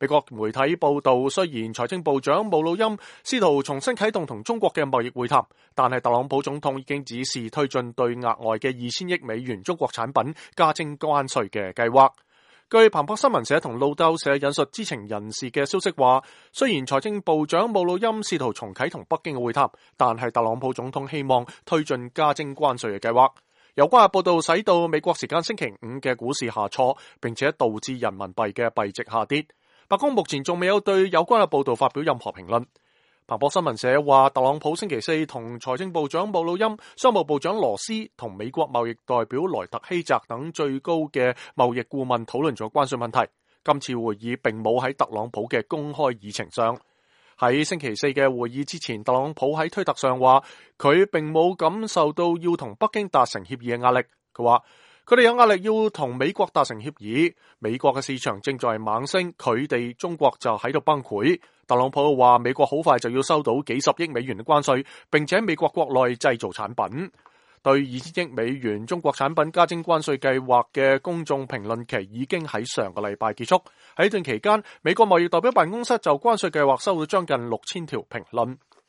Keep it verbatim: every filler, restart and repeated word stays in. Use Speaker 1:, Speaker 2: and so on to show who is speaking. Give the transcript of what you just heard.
Speaker 1: 美國媒體報道，雖然財政部長姆努欽試圖重新啟動同中國嘅貿易會談，但係特朗普總統已經指示推進對額外嘅二千億美元中國產品加徵關稅嘅計劃。據彭博新聞社同路透社引述知情人士嘅消息話，雖然財政部長姆努欽試圖重啟同北京嘅會談，但係特朗普總統希望推進加徵關稅嘅計劃。有關嘅報道使到美國時間星期五嘅股市下挫，並且導致人民幣嘅幣值下跌。白宮目前仲未有對有關嘅報道發表任何評論。彭博新聞社話，特朗普星期四同財政部長姆努欽、商務部長羅斯同美國貿易代表萊特希澤等最高嘅貿易顧問討論咗關稅問題。今次會議並冇喺特朗普嘅公開議程上。喺星期四嘅會議之前，特朗普喺推特上話，佢並冇感受到要同北京達成協議嘅壓力。佢話，佢哋有壓力要同美國達成協議，美國嘅市場正在猛升，佢哋中國就喺度崩潰。特朗普話美國好快就要收到幾十億美元嘅關稅，並且美國國內製造產品。對二千億美元中國產品加徵關稅計劃嘅公眾評論期已經喺上個禮拜結束。喺呢段期間，美國貿易代表辦公室就關稅計劃收到將近六千條評論。